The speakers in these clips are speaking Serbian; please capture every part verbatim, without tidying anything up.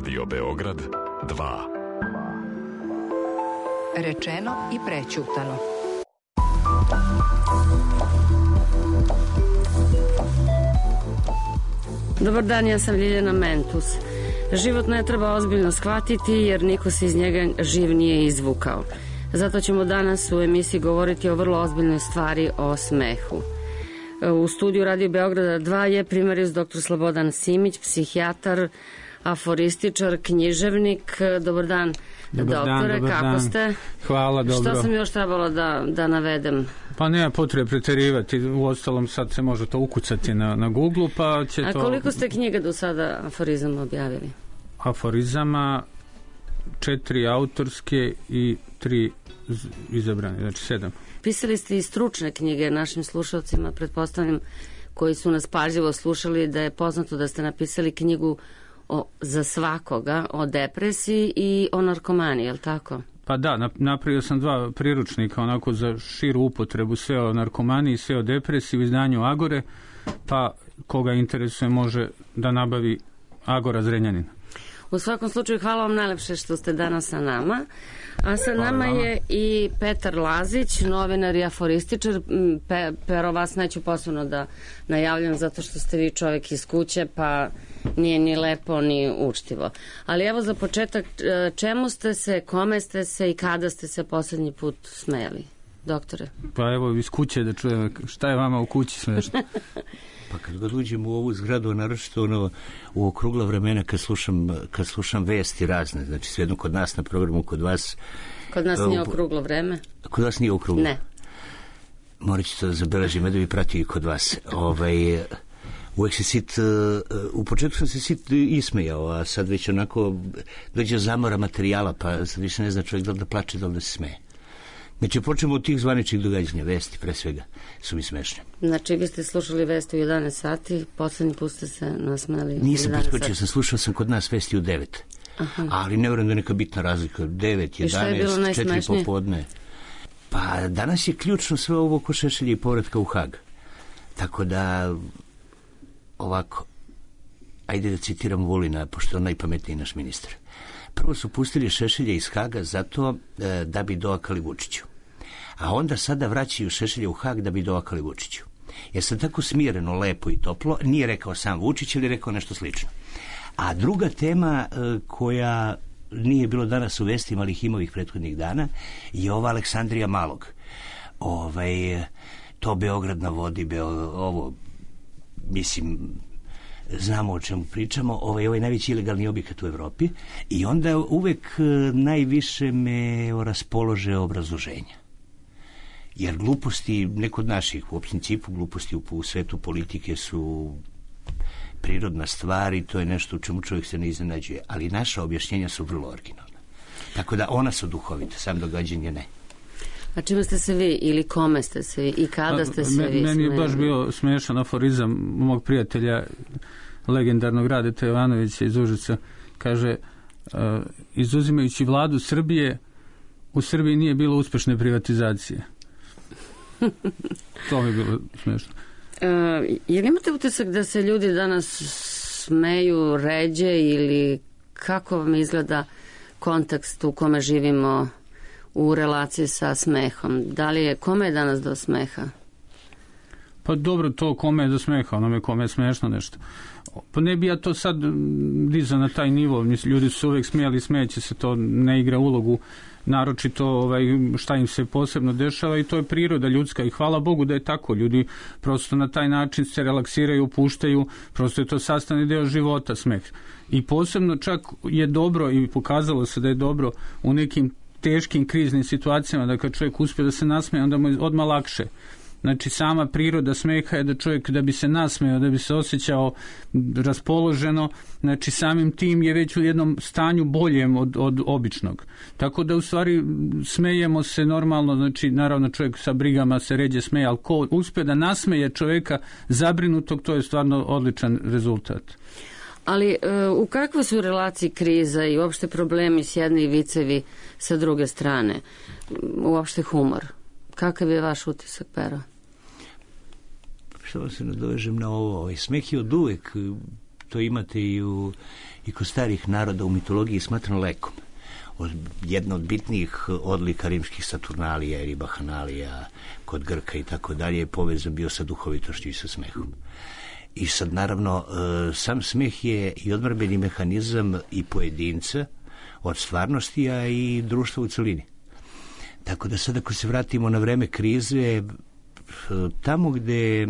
Radio Beograd dva. Rečeno i prećutano. Dobar dan, ja sam Ljiljana Mentus. Život ne treba ozbiljno shvatiti jer niko se iz njega živ nije izvukao. Zato ćemo danas u emisiji govoriti o vrlo ozbiljnoj stvari, o smehu. U studiju Radio Beograda dva je primarijus doktor Slobodan Simić, psihijatar, aforističar, književnik. Dobar dan, dobar doktore, dan, dobar kako dan. ste? Hvala, dobro. Šta sam još trebalo da, da navedem? Pa nema potrebe preterivati, u ostalom sad se može to ukucati na, na Google, pa će A to... A koliko ste knjiga do sada aforizama objavili? Aforizama, četiri autorske i tri izabrane, znači sedam. Pisali ste i stručne knjige našim slušalcima, pretpostavljam, koji su nas pažljivo slušali, da je poznato da ste napisali knjigu o, za svakoga, o depresiji i o narkomaniji, je li tako? Pa da, napravio sam dva priručnika onako za širu upotrebu, sve o narkomaniji, sve o depresiji u izdanju Agore, pa koga interesuje može da nabavi Agora Zrenjanin. U svakom slučaju hvala vam najlepše što ste danas sa nama. A sa nama je i Petar Lazić, novinar i aforističar. Pe, Pero, vas neću posebno da najavljam zato što ste vi čovjek iz kuće, pa nije ni lepo ni učtivo. Ali evo za početak, čemu ste se, kome ste se i kada ste se poslednji put smejali, doktore? Pa evo iz kuće da čujem šta je vama u kući smešno. Pa kad god uđem u ovu zgradu, naročito ono, u okrugla vremena kad slušam, kad slušam vesti razne, znači svejedno kod nas na programu, kod vas... Kod nas nije okruglo vreme? Kod vas nije okruglo? Ne. Morat ću to da zabeležim, da bi pratio i kod vas. Ovaj, uvek se sit, u početku sam se sit ismejao, a sad već onako dođe zamora materijala, pa sad više ne zna čovjek da li da plače, da li da se smeje. Znači, počnemo od tih zvaničnih događanja, vesti, pre svega, su mi smešne. Znači, vi ste slušali vesti u jedanaest sati, poslednji put ste se nasmeli. Nisam preskočio, sam slušao sam kod nas vesti u devet. Aha. Ali ne vjerujem da je neka bitna razlika. devet, jedanaest, četiri popodne. Pa danas je ključno sve ovo oko Šešelja i povratka u Hag. Tako da, ovako, ajde da citiram Vulina, pošto je on najpametniji naš ministar. Prvo su pustili Šešelja iz Haga zato e, da bi doakali Vučiću. A onda sada vraćaju Šešelja u Hag da bi doakali Vučiću. Jer sam tako smireno, lepo i toplo, nije rekao sam Vučić ili rekao nešto slično. A druga tema e, koja nije bilo danas u vestima, ali ih ima ovih prethodnih dana, je ova Aleksandrija Malog. Ovaj, to Beograd na vodi, Beo, ovo, mislim... znamo o čemu pričamo, ovaj, ovaj najveći ilegalni objekat u Evropi i onda uvek najviše me raspolože obrazloženja. Jer gluposti, ne kod naših, u principu gluposti u, u svetu politike su prirodna stvar i to je nešto u čemu čovjek se ne iznenađuje, ali naša objašnjenja su vrlo originalna. Tako da ona su duhovita, sam događanje ne. A čime ste se vi ili kome ste se vi i kada ste se Me, vi Meni je baš bio smiješan aforizam mog prijatelja, legendarnog Radeta Jovanovića iz Užica. Kaže, uh, izuzimajući vladu Srbije, u Srbiji nije bilo uspešne privatizacije. To mi je bilo smiješno. Uh, jer imate utisak da se ljudi danas smeju ređe ili kako vam izgleda kontekst u kome živimo u relaciji sa smehom? Da li je, kome je danas do smeha? Pa dobro, to kome je do smeha, onome kome je smešno nešto. Pa ne bi ja to sad dizao na taj nivo, mislim, ljudi su uvijek smijali, smejeće se, to ne igra ulogu, naročito ovaj, šta im se posebno dešava i to je priroda ljudska i hvala Bogu da je tako, ljudi prosto na taj način se relaksiraju, opuštaju, prosto je to sastavni deo života, smeh. I posebno čak je dobro i pokazalo se da je dobro u nekim teškim kriznim situacijama, da kad čovjek uspije da se nasmeje, onda mu je odmah lakše. Znači, sama priroda smeha je da čovjek da bi se nasmejao, da bi se osjećao raspoloženo, znači samim tim je već u jednom stanju boljem od, od običnog. Tako da u stvari smejemo se normalno, znači naravno čovjek sa brigama se ređe smeje, ali ko uspije da nasmeje čovjeka zabrinutog, to je stvarno odličan rezultat. Ali u kakvoj su relaciji kriza i uopšte problemi s jedne i vicevi sa druge strane? Uopšte humor. Kakav je vaš utisak, Pero? Što se nadovežem na ovo? Ovaj smeh je od uvek to imate i, u, i kod starih naroda u mitologiji smatrano lekom. Od, jedna od bitnijih odlika rimskih Saturnalija ili Bahanalija kod Grka i tako dalje je povezan bio sa duhovitošću i sa smehom. I sad naravno sam smeh je i odbrambeni mehanizam i pojedinca od stvarnosti, a i društva u celini. Tako da sad ako se vratimo na vreme krize, tamo gde,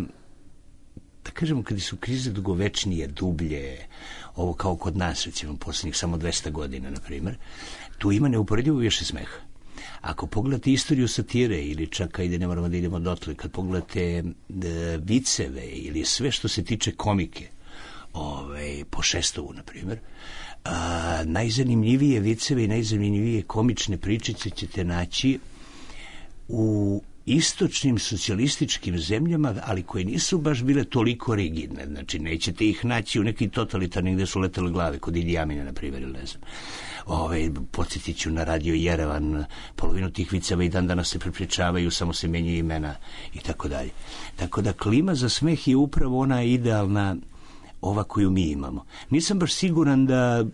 da kažemo, kada su krize dugovečnije, dublje, ovo kao kod nas, recimo, posljednjih samo dvesta godina, na primjer, tu ima neuporedivo više smeha. Ako pogledate istoriju satire ili čak, ajde, ne moramo da idemo dotle, kad pogledate e, viceve ili sve što se tiče komike, ovaj, po Šestovu, na primjer, a, najzanimljivije viceve i najzanimljivije komične pričice ćete naći u istočnim socijalističkim zemljama, ali koje nisu baš bile toliko rigidne. Znači, nećete ih naći u nekim totalitarnim gde su letele glave, kod Idi Amina, na primjer, ili ne znam. Ove, podsjetit ću na radio Jerevan, polovinu tih viceva i dan danas se prepričavaju, samo se menjaju imena i tako dalje. Tako da klima za smeh je upravo ona idealna, ova koju mi imamo. Nisam baš siguran da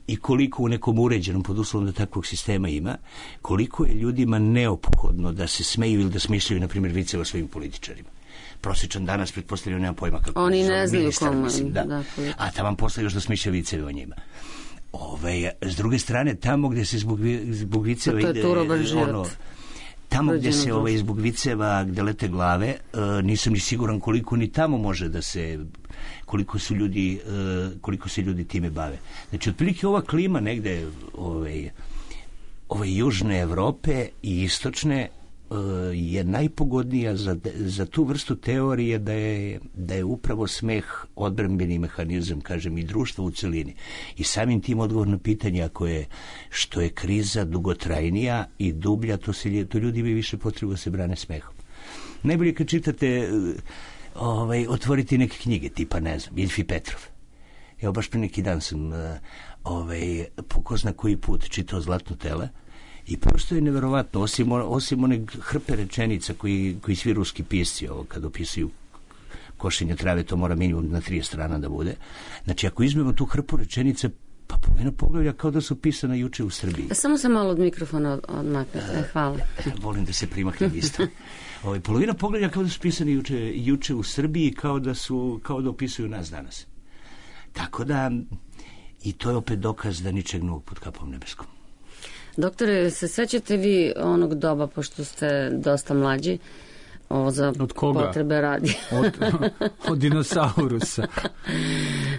i koliko u nekom uređenom, pod uslovom da takvog sistema ima, koliko je ljudima neophodno da se smeju ili da smišljaju, na primjer, viceve o svojim političarima. Prosječan danas, pretpostavljaju, nema pojma kako. Oni ne znaju komu. Da. Da, a tamo posle još da smišljaju viceve o njima. Ove, s druge strane, tamo gde se zbog, zbog viceva ide, ono, tamo gde se ovaj, zbog viceva gde lete glave, uh, nisam ni siguran koliko ni tamo može da se, koliko su ljudi, uh, koliko se ljudi time bave. Znači, otprilike ova klima negde ovaj, ove južne Evrope i istočne uh, je najpogodnija za, za tu vrstu teorije da je, da je upravo smeh odbrambeni mehanizam, kažem, i društva u celini. I samim tim odgovor na pitanje, ako je što je kriza dugotrajnija i dublja, to, se, to ljudi imaju više potrebu da se brane smehom. Najbolje kad čitate, ovaj, otvoriti neke knjige, tipa, ne znam, Ilfi Petrov. Evo, baš pre neki dan sam ovaj, po ko zna koji put čitao Zlatno tele i prosto je neverovatno, osim, osim one hrpe rečenica koji, koji svi ruski pisci, ovo, kad opisuju košenje trave, to mora minimum na trideset strana da bude. Znači, ako izmemo tu hrpu rečenice, pa polovina poglavlja kao da su pisana juče u Srbiji. Samo se malo od mikrofona odmaknete, hvala. Volim da se primaknem isto. Ovaj, polovina poglavlja kao da su pisani juče, juče u Srbiji, kao da, su, kao da opisuju nas danas. Tako da, i to je opet dokaz da ničeg novog pod kapom nebeskom. Doktore, se sećate vi onog doba, pošto ste dosta mlađi, ovo za potrebe radi. Od, od dinosaurusa.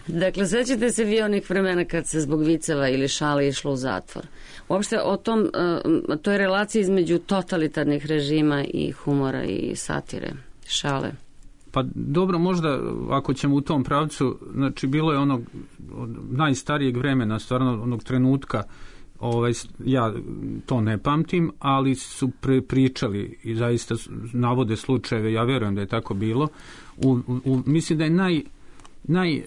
Dakle, sećate se vi onih vremena kad se zbog viceva ili šale išlo u zatvor. Uopšte o tom, toj relaciji između totalitarnih režima i humora i satire, šale. Pa dobro, možda ako ćemo u tom pravcu, znači bilo je onog od najstarijeg vremena, stvarno onog trenutka, ovaj, ja to ne pamtim, ali su pre pričali i zaista navode slučajeve, ja verujem da je tako bilo. U, u, mislim da je naj, naj e,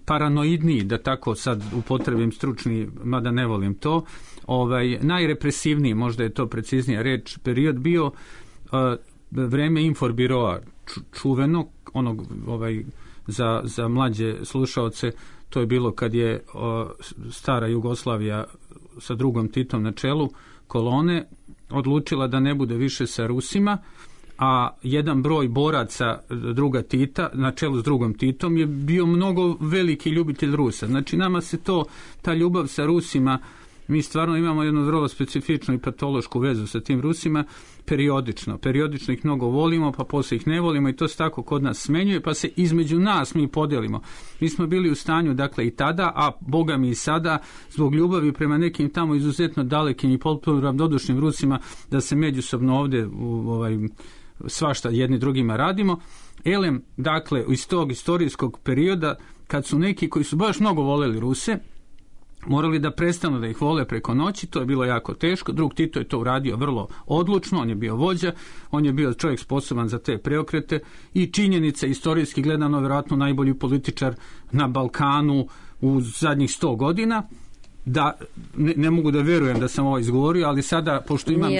paranoidniji, da tako sad upotrebim stručni, mada ne volim to, ovaj, najrepresivniji, možda je to preciznija reč, period bio e, vreme Inforbiroa, čuveno, onog, ovaj, za, za mlađe slušaoce, to je bilo kad je o, stara Jugoslavija sa drugom Titom na čelu kolone odlučila da ne bude više sa Rusima, a jedan broj boraca druga Tita na čelu s drugom Titom je bio mnogo veliki ljubitelj Rusa. Znači, nama se to, ta ljubav sa Rusima, mi stvarno imamo jednu vrlo specifičnu i patološku vezu sa tim Rusima, periodično. Periodično ih mnogo volimo, pa posle ih ne volimo i to se tako kod nas smenjuje, pa se između nas mi podelimo. Mi smo bili u stanju, dakle, i tada, a Boga mi i sada, zbog ljubavi prema nekim tamo izuzetno dalekim i potpuno ravnodušnim Rusima, da se međusobno ovde u, ovaj, svašta jedni drugima radimo. Elem, dakle, iz tog istorijskog perioda, kad su neki koji su baš mnogo voleli Ruse, morali da prestanu da ih vole preko noći, to je bilo jako teško. Drug Tito je to uradio vrlo odlučno, on je bio vođa, on je bio čovjek sposoban za te preokrete i činjenica, istorijski gledano, vjerojatno najbolji političar na Balkanu u zadnjih sto godina. Da, ne, ne mogu da verujem da sam ovo izgovorio, ali sada, pošto imam,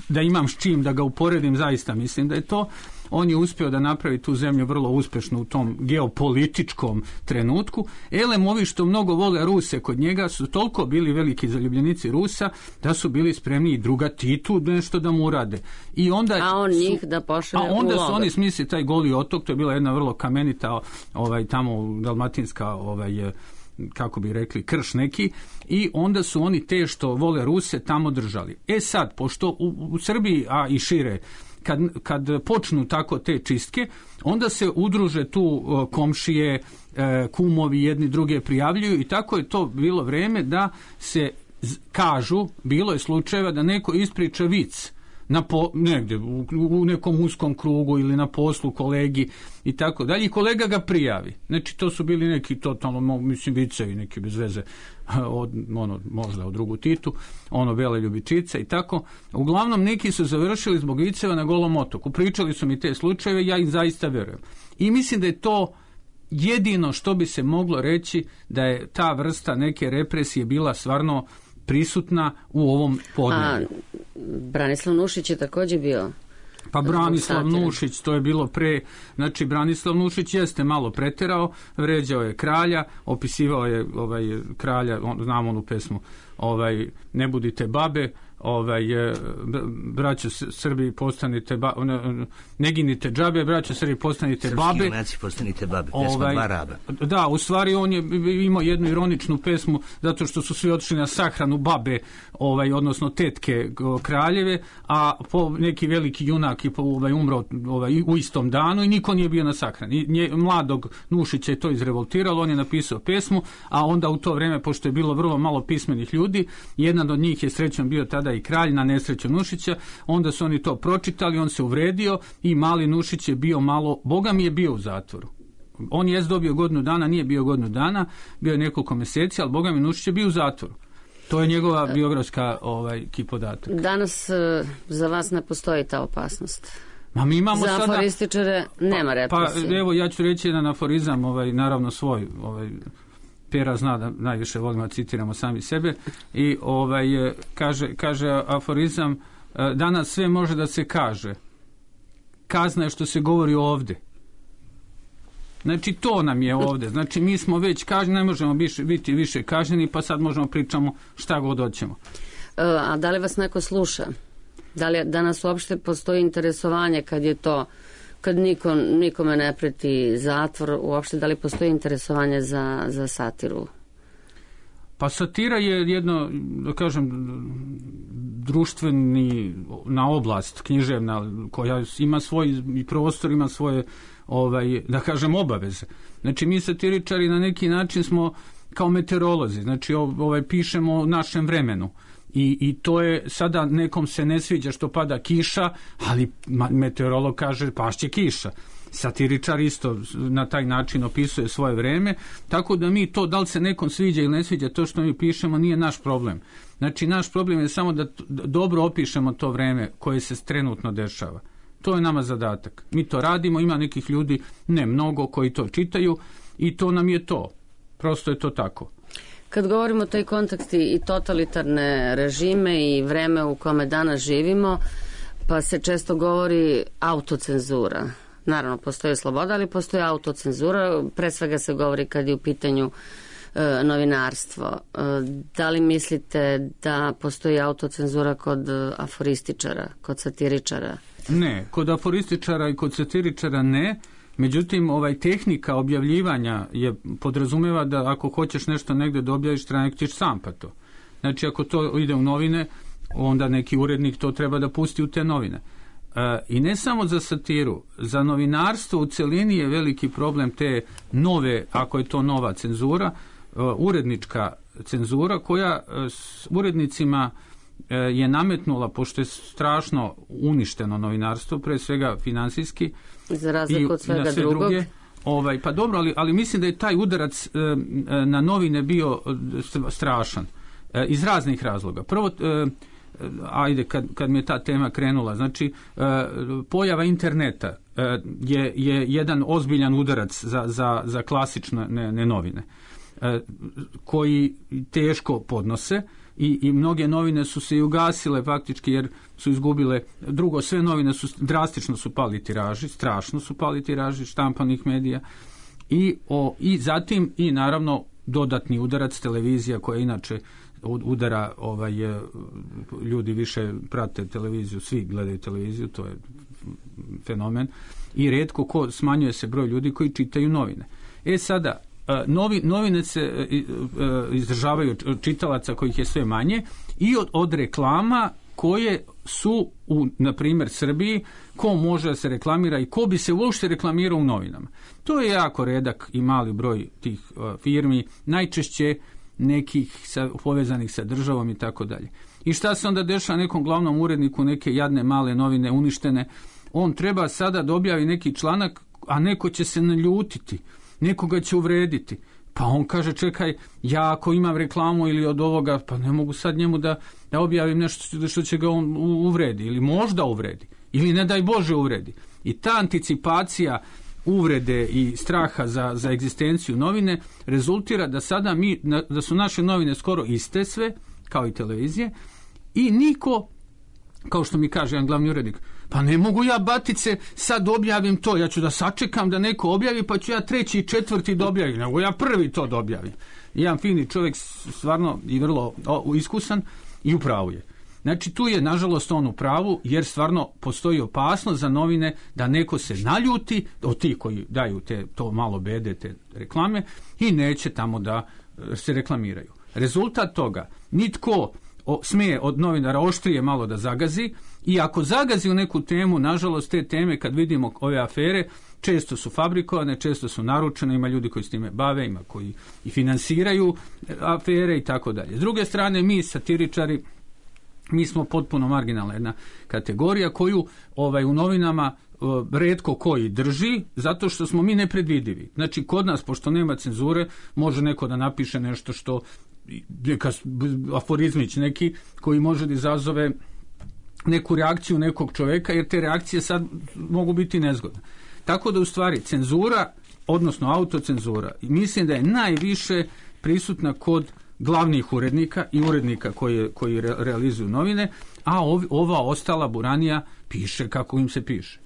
da imam s čim da ga uporedim, zaista mislim da je to. on je uspio da napravi tu zemlju vrlo uspešno u tom geopolitičkom trenutku. Elem, ovi što mnogo vole Ruse kod njega su toliko bili veliki zaljubljenici Rusa da su bili spremni i druga Titu nešto da mu urade. I onda a on su, njih da pošalje a onda su oni smisli taj Goli otok, to je bila jedna vrlo kamenita ovaj, tamo dalmatinska ovaj, kako bi rekli, krš neki, i onda su oni te što vole Ruse tamo držali. E sad, pošto u, u Srbiji, a i šire, kad, kad počnu tako te čistke, onda se udruže tu uh, komšije, uh, kumovi, jedni druge prijavljuju i tako je to bilo vreme da se z- kažu, bilo je slučajeva da neko ispriča vic na po, negde, u, u nekom uskom krugu ili na poslu kolegi i tako dalje, i kolega ga prijavi. Znači, to su bili neki totalno, mislim, vicevi, neki bez veze, od, ono, možda od drugu Titu, ono, Bele ljubičice i tako. Uglavnom, neki su završili zbog viceva na Golom otoku. Pričali su mi te slučajeve, ja ih zaista verujem. I mislim da je to jedino što bi se moglo reći da je ta vrsta neke represije bila stvarno prisutna u ovom podneblju. A Branislav Nušić je također bio... Pa Branislav Nušić, to je bilo pre, znači Branislav Nušić jeste malo preterao, vređao je kralja, opisivao je ovaj kralja, on, znam onu pesmu, ovaj ne budite babe, ovaj braćo Srbi postanite ba, ne, ne ginite džabe, braćo Srbi postanite Srpski babe. Junaci postanite babe, pesma ovaj, dva raba. Da, u stvari on je imao jednu ironičnu pesmu zato što su svi otišli na sahranu babe, ovaj odnosno tetke kraljeve, a po neki veliki junak i po ovaj umro ovaj u istom danu i niko nije bio na sahrani. Nje, mladog Nušića je to izrevoltiralo, on je napisao pesmu, a onda u to vreme, pošto je bilo vrlo malo pismenih ljudi, jedan od njih je srećom bio tada i kralj na nesreću Nušića, onda su oni to pročitali, on se uvredio i mali Nušić je bio malo, Boga mi je bio u zatvoru. On je dobio godinu dana, nije bio godinu dana, bio je nekoliko meseci, ali Boga mi Nušić je bio u zatvoru. To je njegova biografska ovaj, podatak. Danas za vas ne postoji ta opasnost. Ma mi imamo za sada... aforističare nema represije. Pa evo, ja ću reći jedan aforizam, ovaj, naravno svoj, ovaj, Pera zna da najviše volimo da citiramo sami sebe, i ovaj, kaže, kaže aforizam, danas sve može da se kaže, kazna je što se govori ovde. Znači to nam je ovde, znači mi smo već kažnjeni, ne možemo biš, biti više kažnjeni, pa sad možemo pričamo šta god hoćemo. A da li vas neko sluša? Da li danas uopšte postoji interesovanje kad je to, kad niko, nikome ne preti zatvor, uopšte da li postoji interesovanje za, za satiru? Pa satira je jedno, da kažem, društveni na oblast književna koja ima svoj i prostor, ima svoje, ovaj, da kažem, obaveze. Znači mi satiričari na neki način smo kao meteorolozi, znači ovaj, pišemo o našem vremenu. I, i to je, sada nekom se ne sviđa što pada kiša, ali meteorolog kaže pašće kiša. Satiričar isto na taj način opisuje svoje vreme, tako da mi to, da li se nekom sviđa ili ne sviđa to što mi pišemo, nije naš problem. Znači naš problem je samo da dobro opišemo to vreme koje se trenutno dešava. To je nama zadatak. Mi to radimo, ima nekih ljudi, ne mnogo, koji to čitaju i to nam je to. Prosto je to tako. Kad govorimo o toj konteksti i totalitarne režime i vreme u kome danas živimo, pa se često govori autocenzura. Naravno, postoji sloboda, ali postoji autocenzura. Pre svega se govori kad je u pitanju e, novinarstvo. E, da li mislite da postoji autocenzura kod aforističara, kod satiričara? Ne, kod aforističara i kod satiričara ne. Međutim, ovaj tehnika objavljivanja je podrazumeva da ako hoćeš nešto negde da objaviš, treba ćeš sam pa to. Znači, ako to ide u novine, onda neki urednik to treba da pusti u te novine. E, I ne samo za satiru, za novinarstvo u celini je veliki problem te nove, ako je to nova cenzura, e, urednička cenzura koja e, s urednicima e, je nametnula, pošto je strašno uništeno novinarstvo, pre svega finansijski, za razliku od svega drugog. Druge, ovaj, pa dobro, ali, ali mislim da je taj udarac e, na novine bio strašan. E, iz raznih razloga. Prvo, e, ajde, kad, kad mi je ta tema krenula, znači, e, pojava interneta e, je, je jedan ozbiljan udarac za, za, za klasične ne, ne novine, e, koji teško podnose i, i mnoge novine su se i ugasile faktički jer su izgubile. Drugo, sve novine su drastično su pali tiraži, strašno su pali tiraži štampanih medija i, o, i zatim i naravno dodatni udarac televizija koja inače udara ovaj, ljudi više prate televiziju, svi gledaju televiziju, to je fenomen i retko ko smanjuje se broj ljudi koji čitaju novine. E sada, novi, novine se izdržavaju od čitalaca kojih je sve manje i od, od reklama koje su u, na primjer, Srbiji, ko može da se reklamira i ko bi se uopšte reklamirao u novinama. To je jako redak i mali broj tih uh, firmi, najčešće nekih sa, povezanih sa državom i tako dalje. I šta se onda dešava nekom glavnom uredniku neke jadne male novine uništene? On treba sada da objavi neki članak, a neko će se naljutiti, nekoga će uvrediti. Pa on kaže, čekaj, ja ako imam reklamu ili od ovoga, pa ne mogu sad njemu da, da objavim nešto što će ga on uvredi ili možda uvredi ili ne daj Bože uvredi. I ta anticipacija uvrede i straha za, za egzistenciju novine rezultira da sada mi, da su naše novine skoro iste sve, kao i televizije, i niko, kao što mi kaže jedan glavni urednik, pa ne mogu ja, batice, sad objavim to, ja ću da sačekam da neko objavi, pa ću ja treći i četvrti da objavim, nego ja prvi to da objavim. Jedan fini čovjek, stvarno i vrlo o, iskusan i u pravu je. Znači tu je nažalost on u pravu, jer stvarno postoji opasnost za novine da neko se naljuti od tih koji daju te, to malo bede, te reklame i neće tamo da se reklamiraju. Rezultat toga, nitko o, smije od novinara oštrije malo da zagazi i ako zagazi u neku temu, nažalost te teme kad vidimo ove afere, često su fabrikovane, često su naručene, ima ljudi koji s time bave, ima koji i finansiraju afere i tako dalje. S druge strane, mi satiričari, mi smo potpuno marginalna jedna kategorija koju ovaj, u novinama uh, retko koji drži, zato što smo mi nepredvidivi. Znači, kod nas, pošto nema cenzure, može neko da napiše nešto što neka aforizmić neki koji može da izazove neku reakciju nekog čoveka, jer te reakcije sad mogu biti nezgodne. Tako da u stvari cenzura, odnosno autocenzura, mislim da je najviše prisutna kod glavnih urednika i urednika koji, koji re, realizuju novine, a ov, ova ostala buranija piše kako im se piše.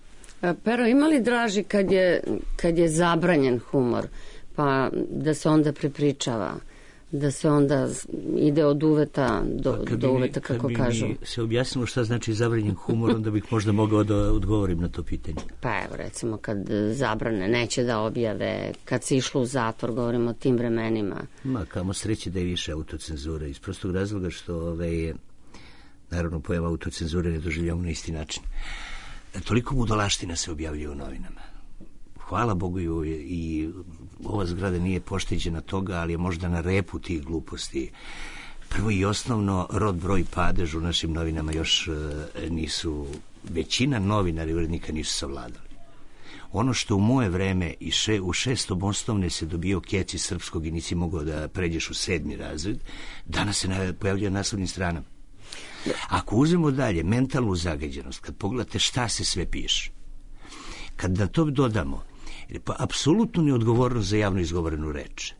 Pero, ima li draži kad je, kad je zabranjen humor, pa da se onda prepričava, da se onda ide od uveta do, pa do uveta, kako bi kažu? Kad bi se objasnilo šta znači zabranjen humor, onda bih možda mogao da odgovorim na to pitanje. Pa evo, recimo, kad zabrane, neće da objave, kad se išlo u zatvor, govorimo o tim vremenima. Ma, kamo sreće da je više autocenzura, iz prostog razloga što, ove, naravno, pojava autocenzure ne doživljamo na isti način. Toliko budalaština se objavljuje u novinama. Hvala Bogu i ova zgrada nije pošteđena toga, ali je možda na repu tih gluposti. Prvo i osnovno, rod, broj, padež u našim novinama još e, nisu, većina novinara i urednika nisu savladali. Ono što u moje vreme i še, u šestom osnovne se dobio keci srpskog i nisi mogao da pređeš u sedmi razred, danas se na, pojavljaju na naslovnim stranama. Ako uzmemo dalje mentalnu zagađenost, kad pogledate šta se sve piše, kad na to dodamo pa apsolutno neodgovornost za javno izgovorenu reč,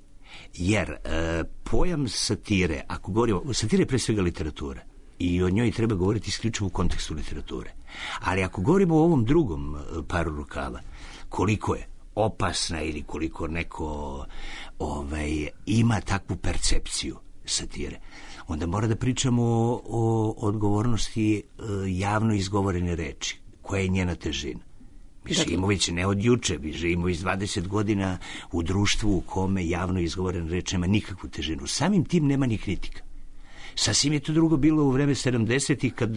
jer e, pojam satire, ako govorimo, satire je pre svega literatura i o njoj treba govoriti isključivo u kontekstu literature, ali ako govorimo o ovom drugom paru rukava, koliko je opasna ili koliko neko ovaj, ima takvu percepciju satire, onda mora da pričamo o, o odgovornosti e, javno izgovorene reči, koja je njena težina. Mi živimo već ne od juče, mi živimo iz dvadeset godina u društvu u kome javno izgovorena reč nema nikakvu težinu. Samim tim nema ni kritika. Sasvim je to drugo bilo u vreme sedamdesetih kad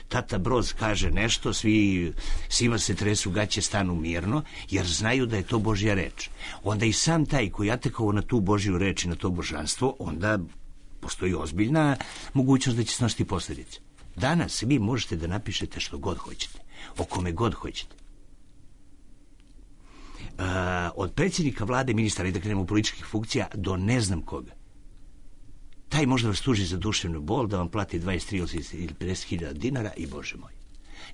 tata Broz kaže nešto, svi, svima se tresu gaće, stanu mirno, jer znaju da je to Božja reč. Onda i sam taj koji atakao na tu Božju reč i na to božanstvo, onda postoji ozbiljna mogućnost da će snositi posljedice. Danas vi možete da napišete što god hoćete, o kome god hoćete. Uh, od predsjednika vlade, ministara i da krenemo političkih funkcija do ne znam koga. Taj možda vas tuži za duševnu bol, da vam plati dvadeset, trideset ili pedeset hiljada dinara i Bože moj.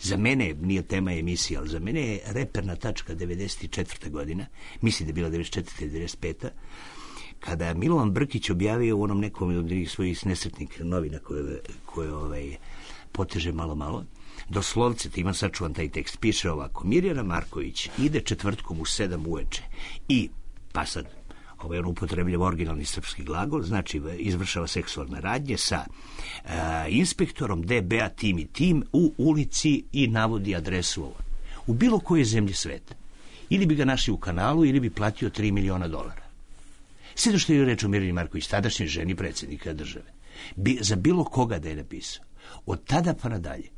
Za mene, nije tema emisije, ali za mene je reperna tačka devedeset četvrta godina, mislim da je bila devedeset četvrta ili devedeset peta kada je Milovan Brkić objavio u onom nekom od svojih nesretnih novina koje, koje ovaj, poteže malo malo, doslovce, ti imam sačuvan taj tekst, piše ovako: Mirjana Marković ide četvrtkom u sedam uveče i, pa sad, ovaj on upotrebljava originalni srpski glagol, znači izvršava seksualne radnje sa uh, inspektorom D B A tim i tim u ulici i navodi adresu ovo. U bilo kojoj zemlji sveta. Ili bi ga našli u kanalu, ili bi platio tri miliona dolara. Sve što je reč o Mirjani Marković, tadašnjoj ženi predsjednika države. Bi, za bilo koga da je napisao. Od tada pa nadalje.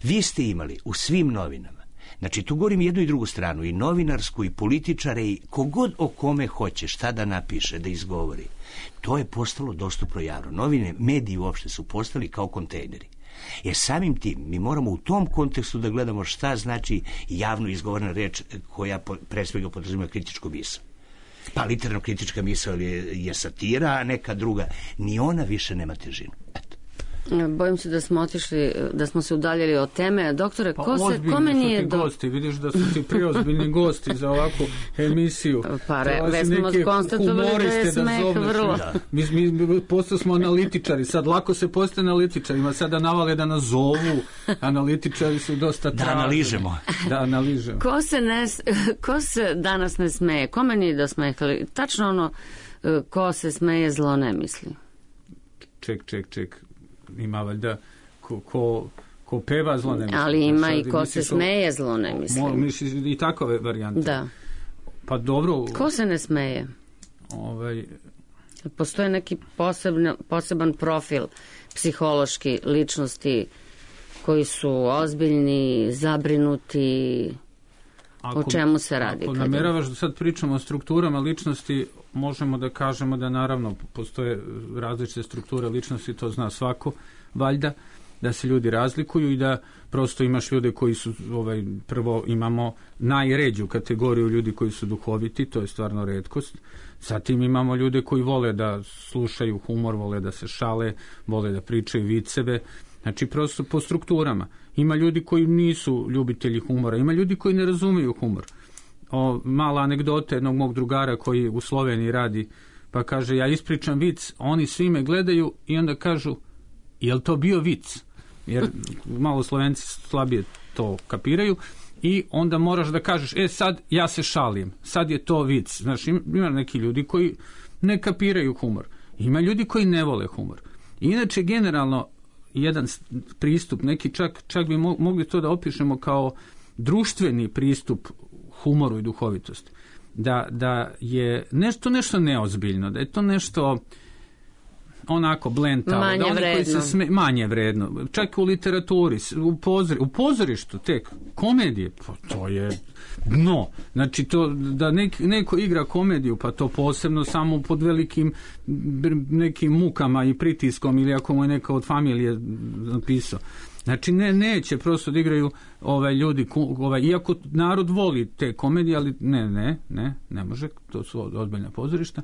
Vi ste imali u svim novinama, znači tu govorim jednu i drugu stranu, i novinarsku, i političare, i kogod o kome hoće šta da napiše, da izgovori, to je postalo dostupno javno. Novine, mediji uopšte su postali kao kontejneri. Jer samim tim mi moramo u tom kontekstu da gledamo šta znači javno izgovorena reč koja pre svega podrazumijeva kritičku misao. Pa literarno kritička misao je, je satira, a neka druga. Ni ona više nema težinu. Eto. Bojim se da smo otišli, da smo se udaljili od teme. Doktore, pa ko se, kome nije... Pa do... gosti, vidiš da su ti preozbiljni gosti za ovakvu emisiju. Pa re, već smo konstatovali da je smeh vrlo. Da. Mi, mi postali smo analitičari, sad lako se postaje analitičarima, sada navale da nas zovu, analitičari su dosta traženi. Da analižemo. Da analižemo. Ko se, ne, ko se danas ne smeje? Kome nije da smehali? Tačno ono, ko se smeje, zlo ne misli. Ček, ček, ček. Ima valjda ko, ko, ko peva zlo ne misli. Ali ima sad, i ko se smeje zlo ne misli. Mo, misli i takove varijante. Da. Pa dobro. Ko se ne smeje? Ovaj... Postoje neki posebno, poseban profil psihološki ličnosti koji su ozbiljni, zabrinuti. Ako, o čemu se radi? Ako nameravaš da sad pričamo o strukturama ličnosti, možemo da kažemo da naravno postoje različite strukture ličnosti, to zna svako, valjda, da se ljudi razlikuju i da prosto imaš ljude koji su, ovaj, prvo imamo najređu kategoriju ljudi koji su duhoviti, to je stvarno retkost. Zatim imamo ljude koji vole da slušaju humor, vole da se šale, vole da pričaju viceve, znači prosto po strukturama. Ima ljudi koji nisu ljubitelji humora, ima ljudi koji ne razumeju humor. O, mala anegdota jednog mog drugara koji u Sloveniji radi, pa kaže, ja ispričam vic, oni svi me gledaju i onda kažu, je li to bio vic? Jer malo Slovenci slabije to kapiraju i onda moraš da kažeš, e sad ja se šalim, sad je to vic. Znaš, ima neki ljudi koji ne kapiraju humor, ima ljudi koji ne vole humor. Inače, generalno, jedan pristup, neki čak, čak bi mogli to da opišemo kao društveni pristup humoru i duhovitosti. Da, da je nešto nešto neozbiljno, da je to nešto onako blentavo, manje da oni vredno. Koji se sme, manje vredno, čak u literaturi, u, pozori, u pozorištu, tek komedije, pa to je dno. Znači to da nek, neko igra komediju, pa to posebno samo pod velikim nekim mukama i pritiskom ili ako mu je neka od familije napisao. Znači ne, neće prosto da igraju ovaj, ljudi, ovaj, iako narod voli te komedije, ali ne, ne, ne, ne može, to su ozbiljna pozorišta.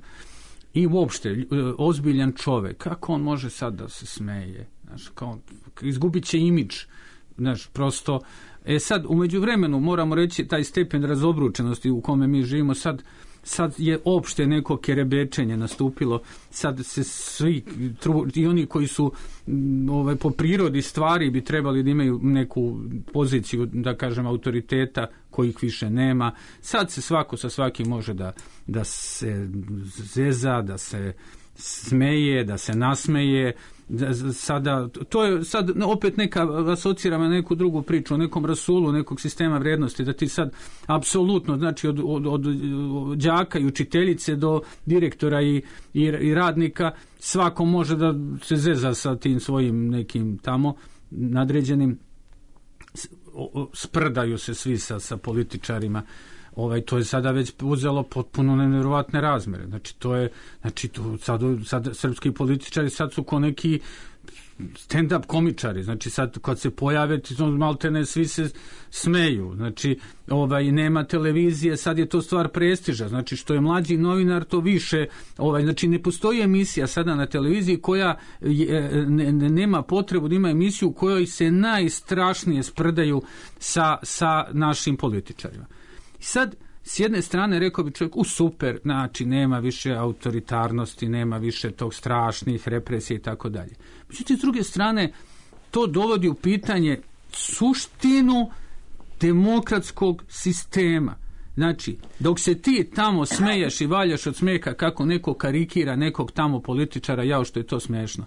I uopšte, ozbiljan čovek, kako on može sad da se smeje? Znaš, kao, izgubit će imidž. Znaš, prosto, e sad, u međuvremenu, moramo reći, taj stepen razobručenosti u kome mi živimo, sad, sad je opšte neko kerebečenje nastupilo, sad se svi, i oni koji su ovaj, po prirodi stvari bi trebali da imaju neku poziciju, da kažem, autoriteta, kojih više nema. Sad se svako sa svakim može da, da se zeza, da se smeje, da se nasmeje. Da, sada, to je sad opet neka, asociramo na neku drugu priču, o nekom rasulu, nekog sistema vrijednosti, da ti sad apsolutno, znači od, od, od, od đaka i učiteljice do direktora i, i, i radnika, svako može da se zeza sa tim svojim nekim tamo nadređenim, sprdaju se svi sa, sa političarima. Ovaj, to je sada već uzelo potpuno nevjerovatne razmere. Znači, to je, znači, to sad, sad srpski političari sad su ko neki stand-up komičari. Znači, sad kad se pojave, maltene svi se smeju. Znači, ovaj, nema televizije, sad je to stvar prestiža. Znači, što je mlađi novinar, to više. Ovaj, znači, ne postoji emisija sada na televiziji koja je, ne, ne, nema potrebu da ima emisiju u kojoj se najstrašnije sprdaju sa, sa našim političarima. I sad s jedne strane rekao bi čovjek, u super, znači nema više autoritarnosti, nema više tog strašnih represija i tako dalje. Međutim, s druge strane, to dovodi u pitanje suštinu demokratskog sistema. Znači, dok se ti tamo smeješ i valjaš od smeha kako neko karikira nekog tamo političara, jao što je to smiješno.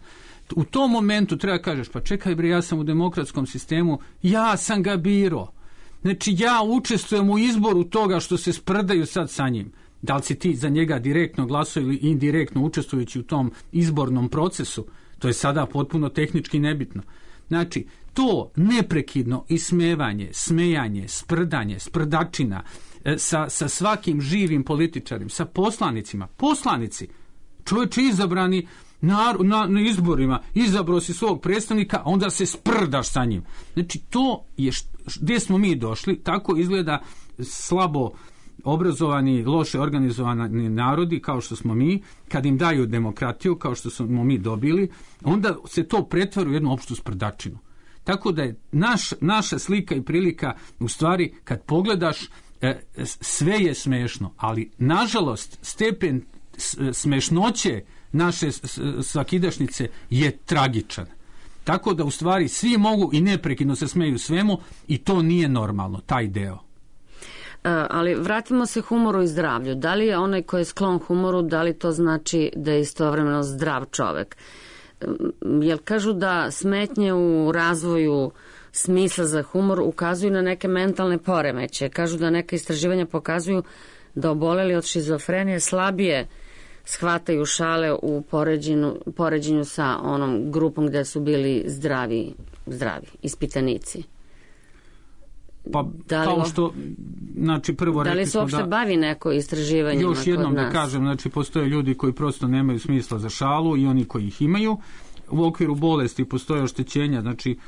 U tom momentu treba kažeš, pa čekaj bre, ja sam u demokratskom sistemu, ja sam ga birao. Znači, ja učestvujem u izboru toga što se sprdaju sad sa njim. Da li si ti za njega direktno glasao ili indirektno učestvujući u tom izbornom procesu, to je sada potpuno tehnički nebitno. Znači, to neprekidno ismevanje, smejanje, sprdanje, sprdačina sa, sa svakim živim političarim, sa poslanicima, poslanici, čovječe izabrani na, na, na izborima, izabrao si svog predstavnika, a onda se sprdaš sa njim. Znači, to je št, gdje smo mi došli, tako izgleda slabo obrazovani, loše organizovani narodi kao što smo mi, kad im daju demokratiju kao što smo mi dobili, onda se to pretvara u jednu opštu sprdačinu. Tako da je naš, naša slika i prilika, u stvari, kad pogledaš, e, sve je smešno, ali nažalost stepen smešnoće naše svakidašnjice je tragičan. Tako da u stvari svi mogu i neprekidno se smeju svemu i to nije normalno, taj deo. Ali vratimo se humoru i zdravlju. Da li je onaj koji je sklon humoru, da li to znači da je istovremeno zdrav čovek? Jer kažu da smetnje u razvoju smisla za humor ukazuju na neke mentalne poremeće. Kažu da neka istraživanja pokazuju da oboleli od šizofrenije slabije shvataju šale u poređenju, poređenju sa onom grupom gde su bili zdravi, zdravi ispitanici. Pa da kao što, znači prvo da li se uopšte da, bavi neko istraživanjima još jednom da kažem, znači postoje ljudi koji prosto nemaju smisla za šalu i oni koji ih imaju. U okviru bolesti postoje oštećenja, znači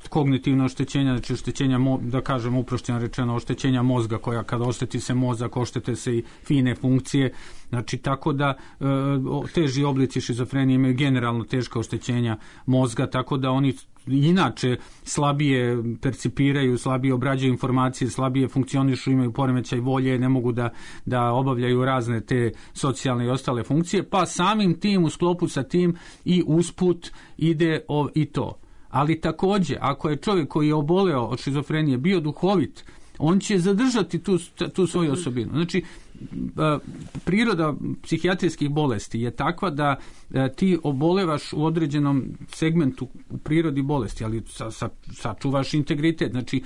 kognitivno oštećenja, znači oštećenja, da kažem uprošćeno rečeno, oštećenja mozga koja kada ošteti se mozak, oštete se i fine funkcije, znači tako da e, teži oblici šizofrenije imaju generalno teška oštećenja mozga, tako da oni inače slabije percipiraju, slabije obrađuju informacije, slabije funkcionišu, imaju poremećaj volje, ne mogu da, da obavljaju razne te socijalne i ostale funkcije, pa samim tim u sklopu sa tim i usput ide o, i to. Ali također, ako je čovjek koji je oboleo od šizofrenije bio duhovit, on će zadržati tu, tu svoju osobinu. Znači, priroda psihijatrijskih bolesti je takva da ti obolevaš u određenom segmentu u prirodi bolesti, ali sa, sa, sačuvaš integritet. Znači,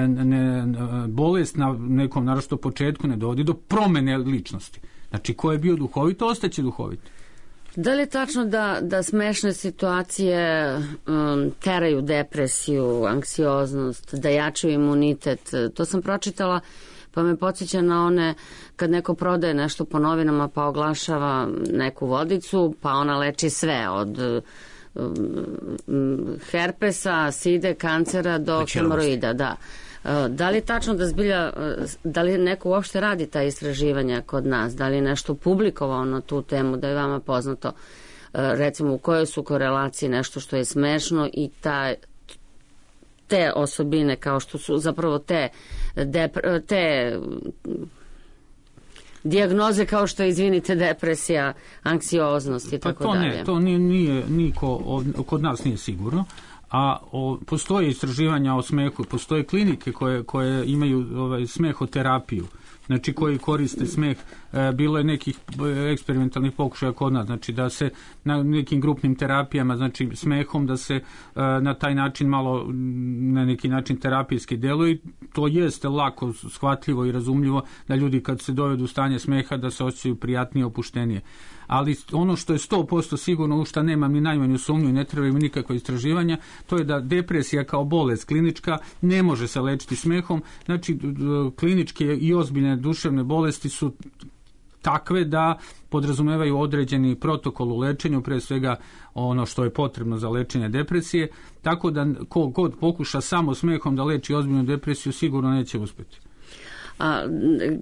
ne, bolest na nekom naročito početku ne dovodi do promene ličnosti. Znači, ko je bio duhovit, ostaće duhovit. Da li je tačno da, da smešne situacije um, teraju depresiju, anksioznost, da jačaju imunitet? To sam pročitala, pa me podsjeća na one kad neko prodaje nešto po novinama pa oglašava neku vodicu, pa ona leči sve od um, herpesa, side, kancera do hemoroida, da. Da li je tačno da zbilja, da li neko uopšte radi ta istraživanja kod nas, da li je nešto publikovao na tu temu, da je vama poznato, recimo u kojoj su korelaciji nešto što je smešno i ta, te osobine kao što su zapravo te, depre, te dijagnoze kao što je, izvinite, depresija, anksioznost i tako dalje. Pa to ne, to nije, nije niko, kod nas nije sigurno. A o, postoje istraživanja o smehu, postoje klinike koje, koje imaju ovaj, smehoterapiju, znači koji koriste smeh. E, bilo je nekih eksperimentalnih pokušaja kod nas, znači da se na nekim grupnim terapijama, znači smehom, da se e, na taj način malo, na neki način terapijski deluje. To jeste lako shvatljivo i razumljivo da ljudi kad se dovedu u stanje smeha da se osjećaju prijatnije, opuštenije. Ali ono što je sto posto sigurno, u što nemam ni najmanju sumnju i ne trebaju mi nikakva istraživanja, to je da depresija kao bolest klinička ne može se lečiti smehom. Znači, kliničke i ozbiljne duševne bolesti su takve da podrazumevaju određeni protokol u lečenju, pre svega ono što je potrebno za lečenje depresije, tako da ko god pokuša samo smehom da leči ozbiljnu depresiju sigurno neće uspjeti. A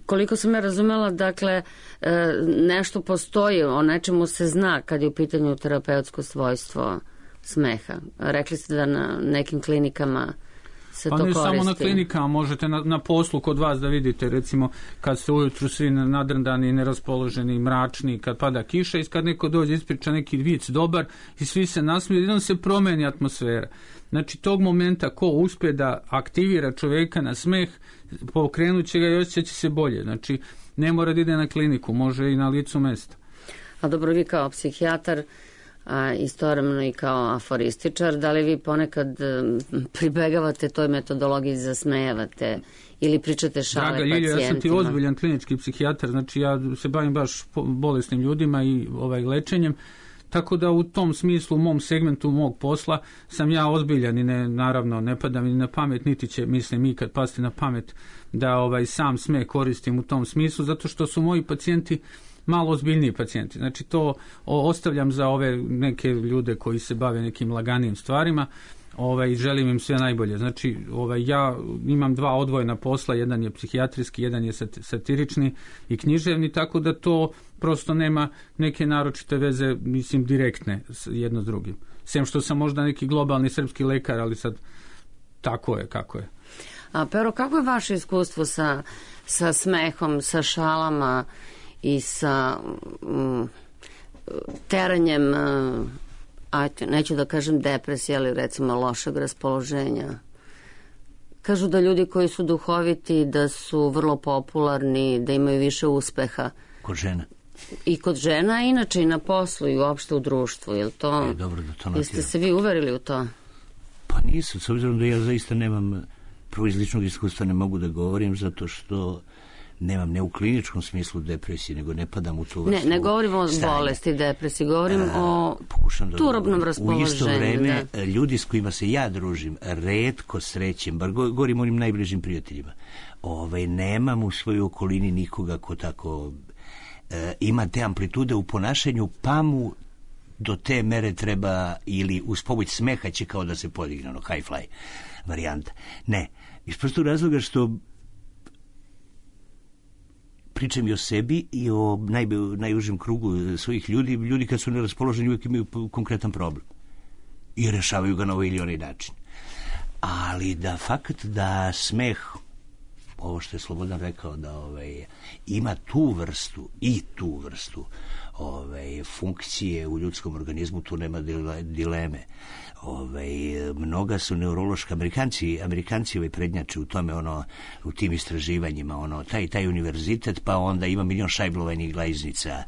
koliko sam ja razumela, dakle, nešto postoji, o nečemu se zna kad je u pitanju terapeutsko svojstvo smeha. Rekli ste da na nekim klinikama se pa to ne koristi. Samo na klinikama, možete na, na poslu kod vas da vidite, recimo kad ste ujutru svi nadrndani, neraspoloženi, mračni, kad pada kiša i kad neko dođe ispriča neki vic dobar i svi se nasmiju, jednom se promeni atmosfera. Znači tog momenta ko uspije da aktivira čoveka na smeh, pokrenut će ga i osjećat će se bolje. Znači ne mora da ide na kliniku, može i na licu mesta. A dobro, vi kao psihijatar, a istovremeno i kao aforističar, da li vi ponekad pribegavate toj metodologiji, zasmejavate ili pričate šale Draga pacijentima? Ljilja, ja sam ti ozbiljan klinički psihijatar, znači ja se bavim baš bolesnim ljudima i ovaj lečenjem, tako da u tom smislu, u mom segmentu mog posla sam ja ozbiljan i ne, naravno ne pada mi na pamet, niti će, mislim, ikad pasti na pamet da ovaj sam smeh koristim u tom smislu, zato što su moji pacijenti malo ozbiljniji pacijenti. Znači to ostavljam za ove neke ljude koji se bave nekim laganim stvarima, ovaj, i želim im sve najbolje. Znači ovaj, ja imam dva odvojena posla, jedan je psihijatrijski, jedan je satirični i književni, tako da to prosto nema neke naročite veze, mislim, direktne jedno s drugim. Sem što sam možda neki globalni srpski lekar, ali sad tako je kako je. A Pero, kako je vaše iskustvo sa, sa smehom, sa šalama i sa um, teranjem, uh, ajte, neću da kažem depresije, ali recimo lošeg raspoloženja? Kažu da ljudi koji su duhoviti, da su vrlo popularni, da imaju više uspeha. Kod žena. I kod žena, inače i na poslu i uopšte u društvu. Je li to, e, dobro da to jeste se vi uverili u to? Pa nisam, s obzirom da ja zaista nemam, prvo iz ličnog iskustva ne mogu da govorim, zato što nemam ne u kliničkom smislu depresije, nego ne padam u tu vrstu. Ne, ne govorim o stanja. Bolesti, depresiji, govorim A, o da turobnom raspoloženju. U isto vreme, da. Ljudi s kojima se ja družim, retko srećem, bar govorim o onim najbližim prijateljima, ovaj, nemam u svojoj okolini nikoga ko tako e, ima te amplitude u ponašanju, pa mu do te mere treba, ili uz pomoć smeha će kao da se podigne, ono, high fly varijanta. Ne, iz prostog razloga što pričam i o sebi i o naj, najužem krugu svojih ljudi. Ljudi kad su neraspoloženi uvijek imaju konkretan problem i rešavaju ga na ovaj ili onaj način. Ali da fakt da smeh, ovo što je Slobodan rekao, da ovaj, ima tu vrstu i tu vrstu ovaj, funkcije u ljudskom organizmu, tu nema dileme. Ovaj, mnoga su neurološka, Amerikanci, Amerikanci ovaj prednjače u tome, ono, u tim istraživanjima, ono, taj, taj univerzitet, pa onda ima milion šajblovanih glajznica, e,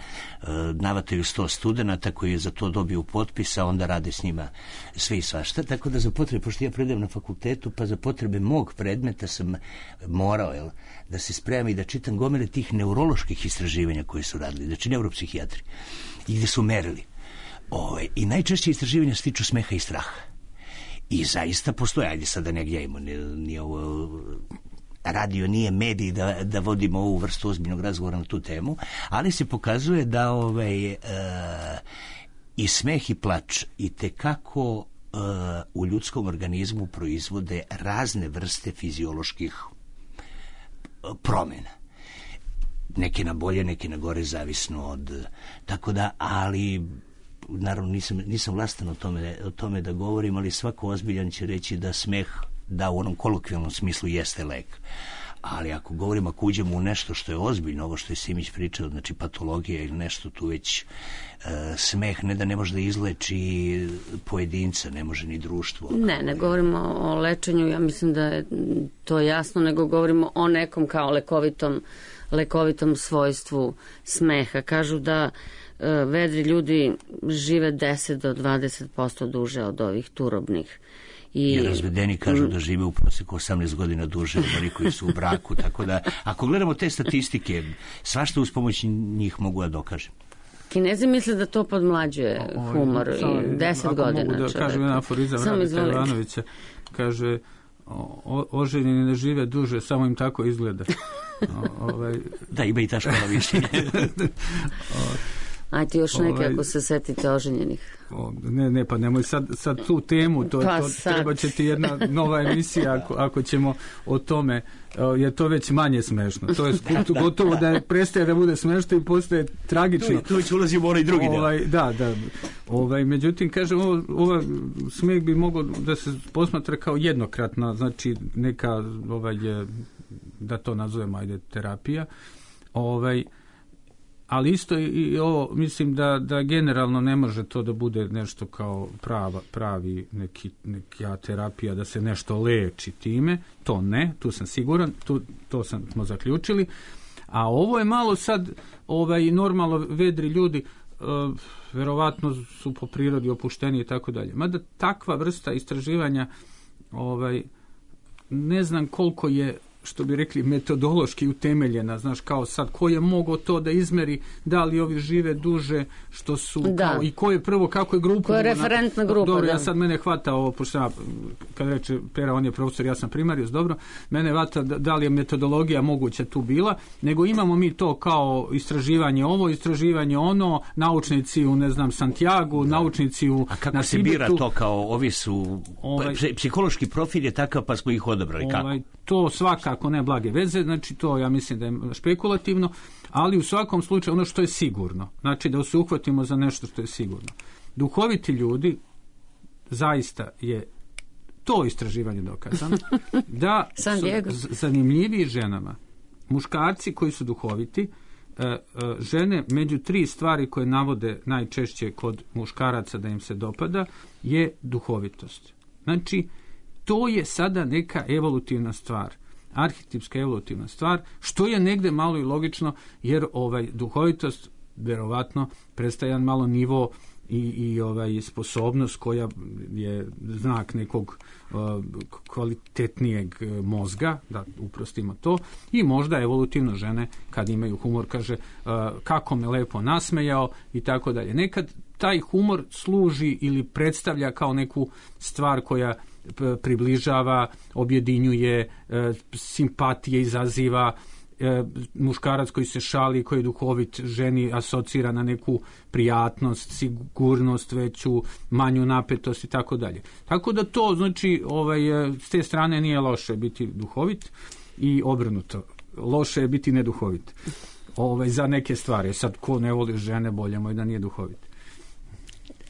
navataju sto studenata koji je za to dobiju potpisa, onda rade s njima sve i svašta, tako da za potrebe, pošto ja predajem na fakultetu, pa za potrebe mog predmeta sam morao, jel, da se spremam i da čitam gomile tih neuroloških istraživanja koje su radili, znači neuropsihijatri, i gde su merili. Ove, i najčešće istraživanja se tiču smeha i straha. I zaista postoje, ajde sada ne gnjavimo, nije ovo radio, nije medij da, da vodimo ovu vrstu ozbiljnog razgovora na tu temu, ali se pokazuje da ovaj, e, i smeh i plač i tekako e, u ljudskom organizmu proizvode razne vrste fizioloških promjena. Neke na bolje, neke na gore, zavisno od... Tako da, ali... Naravno, nisam, nisam vlastan o tome, o tome da govorim, ali svako ozbiljan će reći da smeh, da u onom kolokvijalnom smislu jeste lek. Ali ako govorimo, ako uđemo u nešto što je ozbiljno, ovo što je Simić pričao, znači patologija ili nešto, tu već e, smeh ne da ne može da izleči pojedinca, ne može ni društvo. Ne, ne govorimo o lečenju, ja mislim da je to jasno, nego govorimo o nekom kao lekovitom, lekovitom svojstvu smeha. Kažu da vedri ljudi žive deset do dvadeset posto duže od ovih turobnih. I, I razvedeni kažu da žive u proseku osamnaest godina duže od onih koji su u braku, tako da ako gledamo te statistike, svašta uz pomoć njih mogu da dokažem. Kinezi misle da to podmlađuje o, humor o, i deset godina. Mogu da kažem jedan aforizam Radeta Ivanovića, kaže o, oženjeni ne žive duže, samo im tako izgleda. O, ovaj... Da, ima i ta škola mišljenja. Ajde još neke ovaj, ako se setite oženjenih. O, ne, ne, pa nemoj sad, sad tu temu, to, pa to treba će ti jedna nova emisija ako, ako ćemo o tome, je to već manje smešno. To je gotovo da je, prestaje da bude smešno i postaje tragično. Tu već ulazimo u onaj drugi deo. Ovaj, da, da. Ovaj, međutim, kažem, ovo, ova smeh bi mogao da se posmatra kao jednokratna, znači neka, ovaj, da to nazovemo, ajde, terapija. Ovaj, ali isto i, i ovo, mislim da, da generalno ne može to da bude nešto kao prava, pravi neki, neka terapija, da se nešto leči time, to ne, tu sam siguran, tu, to sam, smo zaključili, a ovo je malo sad, ovaj, normalno vedri ljudi, uh, verovatno su po prirodi opušteni i tako dalje. Mada takva vrsta istraživanja, ovaj, ne znam koliko je, što bi rekli, metodološki utemeljena, znaš, kao sad, ko je mogao to da izmeri, da li ovi žive duže, što su, da. Kao, i ko je prvo, kako je grupa. Ko je referentna grupa, dobro, da. Ja sad mene hvata ovo, pošto ja, kad reče Pera, on je profesor, ja sam primarijus, dobro, mene hvata da, da li je metodologija moguća tu bila, nego imamo mi to kao istraživanje ovo, istraživanje ono, naučnici u, ne znam, Santiagu, da. Naučnici u, a kako na se Tibetu. Bira to kao, ovi su, ovaj, psihološki profil je takav, pa smo ih odabrali, kako? Ovaj, to svaka ako ne blage veze, znači to ja mislim da je špekulativno, ali u svakom slučaju ono što je sigurno, znači da se uhvatimo za nešto što je sigurno. Duhoviti ljudi, zaista je to istraživanje dokazano, da su zanimljiviji ženama muškarci koji su duhoviti, žene među tri stvari koje navode najčešće kod muškaraca da im se dopada je duhovitost. Znači, to je sada neka evolutivna stvar, arhetipska evolutivna stvar, što je negde malo i logično, jer ovaj duhovitost verovatno predstavlja jedan malo nivo i, i ovaj sposobnost koja je znak nekog uh, kvalitetnijeg mozga, da uprostimo to, i možda evolutivno žene kad imaju humor, kaže uh, kako me lepo nasmejao i tako dalje. Nekad taj humor služi ili predstavlja kao neku stvar koja približava, objedinjuje, e, simpatije izaziva, e, muškarac koji se šali, koji je duhovit, ženi asocira na neku prijatnost, sigurnost veću, manju napetost i tako dalje. Tako da to, znači, ovaj, s te strane nije loše biti duhovit i obrnuto. Loše je biti neduhovit. Ovaj, za neke stvari. Sad, ko ne voli žene, bolje mu je da nije duhovit.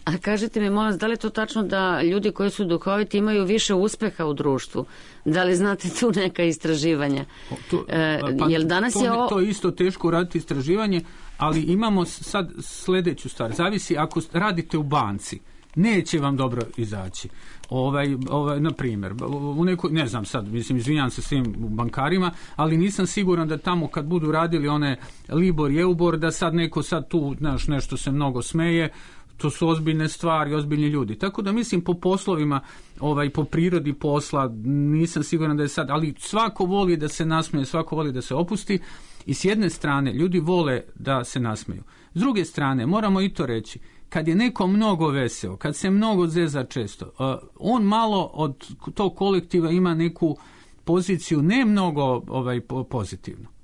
A kažite mi, molim vas, da li je to tačno da ljudi koji su duhoviti imaju više uspeha u društvu? Da li znate tu neka istraživanja? To, e, pa, jel danas to, je o... to je isto teško raditi istraživanje, ali imamo sad sledeću stvar. Zavisi, ako radite u banci, neće vam dobro izaći. Ovaj, ovaj, na primjer, u nekoj, ne znam sad, mislim, izvinjam se svim bankarima, ali nisam siguran da tamo kad budu radili one Libor i Eubor, da sad neko sad tu, znaš, nešto se mnogo smeje. To su ozbiljne stvari, ozbiljni ljudi. Tako da mislim po poslovima, ovaj, po prirodi posla, nisam siguran da je sad, ali svako voli da se nasmeje, svako voli da se opusti i s jedne strane ljudi vole da se nasmeju. S druge strane, moramo i to reći, kad je neko mnogo veseo, kad se mnogo zeza često, uh, on malo od tog kolektiva ima neku poziciju ne mnogo ovaj, pozitivno.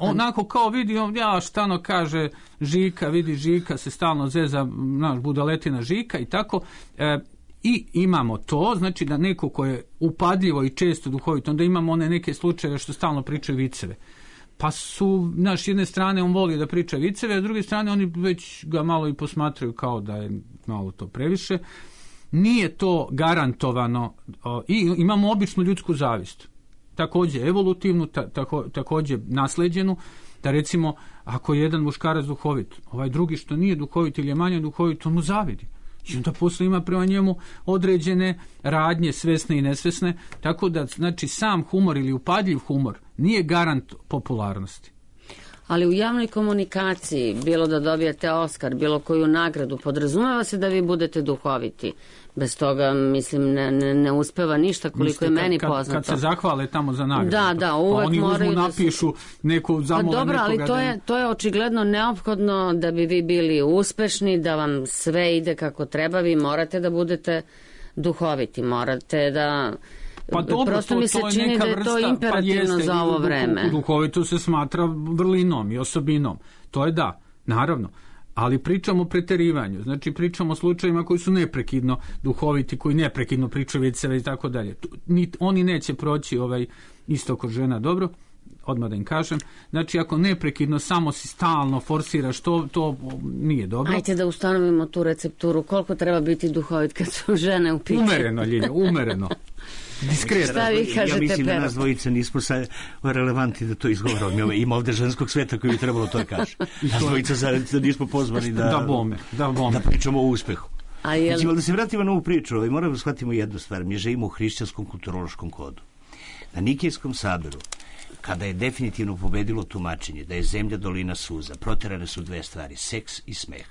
Onako kao vidi, ja štano kaže Žika, vidi Žika se stalno zeza, naš budaletina Žika i tako. E, I imamo to, znači da neko ko je upadljivo i često duhovito, onda imamo one neke slučajeve što stalno pričaju viceve. Pa su, znaš, jedne strane on voli da priča viceve, a s druge strane oni već ga malo i posmatraju kao da je malo to previše. Nije to garantovano o, i imamo običnu ljudsku zavist. Takođe evolutivnu, ta, tako, takođe nasleđenu, da recimo ako je jedan muškarac duhovit, ovaj drugi što nije duhovit ili je manje duhovit, on mu zavidi. I onda posle ima prema njemu određene radnje, svesne i nesvesne, tako da znači sam humor ili upadljiv humor nije garant popularnosti. Ali u javnoj komunikaciji, bilo da dobijete Oskar, bilo koju nagradu, podrazumeva se da vi budete duhoviti. Bez toga, mislim, ne, ne, ne uspeva ništa koliko Mislite, je meni kad, poznato. Kad se zahvale tamo za nagradu. Da, da, uvek pa oni moraju uzmu, napišu da se... neku zamolu pa dobro, nekoga. ali to da... je, to je očigledno neophodno da bi vi bili uspešni, da vam sve ide kako treba, vi morate da budete duhoviti, morate da... Pa dobro, prosto to, mi se to čini neka da je to vrsta, imperativno pa jeste, za ovo vreme. Duhovito se smatra vrlinom i osobinom. To je da, naravno. ali pričamo o preterivanju, znači pričamo o slučajima koji su neprekidno duhoviti, koji neprekidno pričaju viceve i tako dalje. Oni neće proći ovaj isto kod žena dobro, odmah da im kažem. Znači, ako neprekidno samo si stalno forsiraš, to, to nije dobro. Ajde da ustanovimo tu recepturu. Koliko treba biti duhovit kad su žene u pitanju? Umereno, Ljilja, umereno. Diskretno. Šta vi kažete, ja mislim Pero? Da nas dvojica nismo sa relevantni da to izgovorimo. Ima ovde ženskog sveta koji bi trebalo to da kaže. Nas dvojica da nismo pozvani da, da, bome, da, bome. da pričamo o uspehu. A je li... Da se vratimo na ovu priču, ovaj, moramo da shvatimo jednu stvar. Mi živimo u hrišćanskom kulturološkom kodu. Na Nikejskom saboru, kada je definitivno pobedilo tumačenje da je zemlja dolina suza, proterane su dve stvari, seks i smeh.